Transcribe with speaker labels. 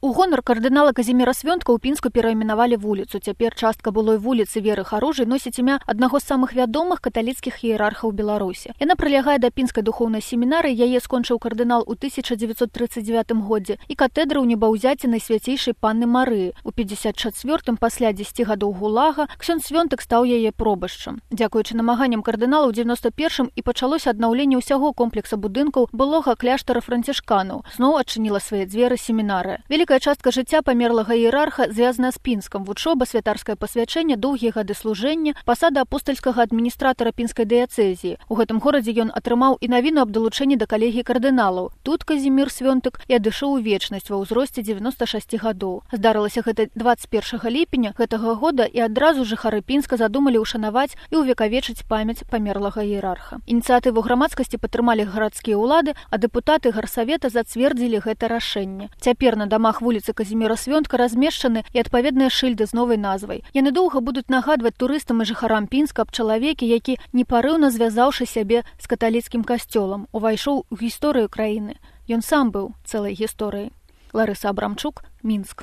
Speaker 1: У гонар кардынала Казіміра Свёнтка ў Пінску перайменавалі вуліцу. Цяпер частка былой вуліцы Веры Харужай носіць імя аднаго з самых вядомых каталіцкіх іерархаў Беларусі. Яна прылягае да Пінскай духоўнай семінарыі, яе скончыў кардынал у 1939 годзе і катэдры ў небаўзяці Найсвяцейшай Панны Марыі. У 54-м, пасля 10 гадоў гулага, ксёндз Свёнтак стаў яе пробашчам. Дзякуючы намаганням кардынала ў 91-м і пачалося аднаўленне ўсяго комплекса будынкаў былога кляштара францішканаў. Зноў адчыніла свае дзверы семінарыя. Вялікая частка жыцця памерлага іерарха звязана з Пінскам: вучоба, святарскае пасвячэнне, доўгія гады служэння, пасада апостальскага адміністратара Пінскай дыяцэзіі. У гэтым горадзе ён атрымаў і навіну аб далучэнні да калегіі кардыналаў. Тут Казімір Свёнтак і адышоў у вечнасць ва ўзросце 96 гадоў. Здарылася гэта 21 ліпеня гэтага года, і адразу жыхары Пінска задумалі ўшанаваць і ўвекавечыць памяць памерлага іерарха. Ініцыятыву грамадскасці падтрымалі гарадскія ўлады, а дэпутаты гарсавета зацвердзілі гэта рашэнне. Цяпер на дамах вуліцы Казіміра Свёнтка размешчаны і адпаведныя шыльды з новай назвай. Яны доўга будуць нагадваць турыстам і жыхарам Пінска аб чалавеке, які, непарыўна звязаўшы сябе з каталіцкім касцёлам, увайшоў у гісторыю краіны. Ён сам быў цэлай гісторыяй. Ларыса Абрамчук, Мінск.